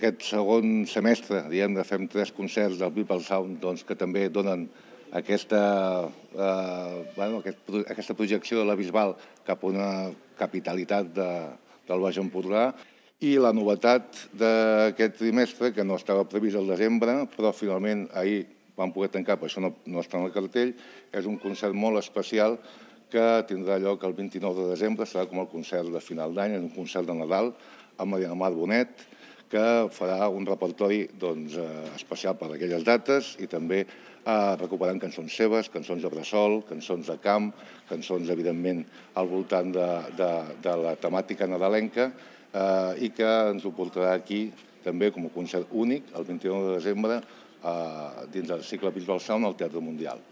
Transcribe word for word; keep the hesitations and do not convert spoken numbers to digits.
Aquest segon semestre, diguem, fem tres concerts del People Sound doncs, que també donen aquesta, eh, bueno, aquest, aquesta projecció de la Bisbal cap a una capitalitat de, del Baix Empordà. I la novetat d'aquest trimestre, que no estava previst al desembre, però finalment ahir vam poder tancar, per això no, no està en el cartell, és un concert molt especial que tindrà lloc el vint-i-nou de desembre, serà com el concert de final d'any, és un concert de Nadal amb Mariana Mar Bonet, que farà un repertori doncs, especial per a aquelles dates i també eh, recuperant cançons seves, cançons de bressol, cançons de camp, cançons, evidentment, al voltant de, de, de la temàtica nadalenca eh, i que ens ho portarà aquí també com a concert únic el vint-i-nou de desembre eh, dins del cicle Bisbal Sound al Teatre Mundial.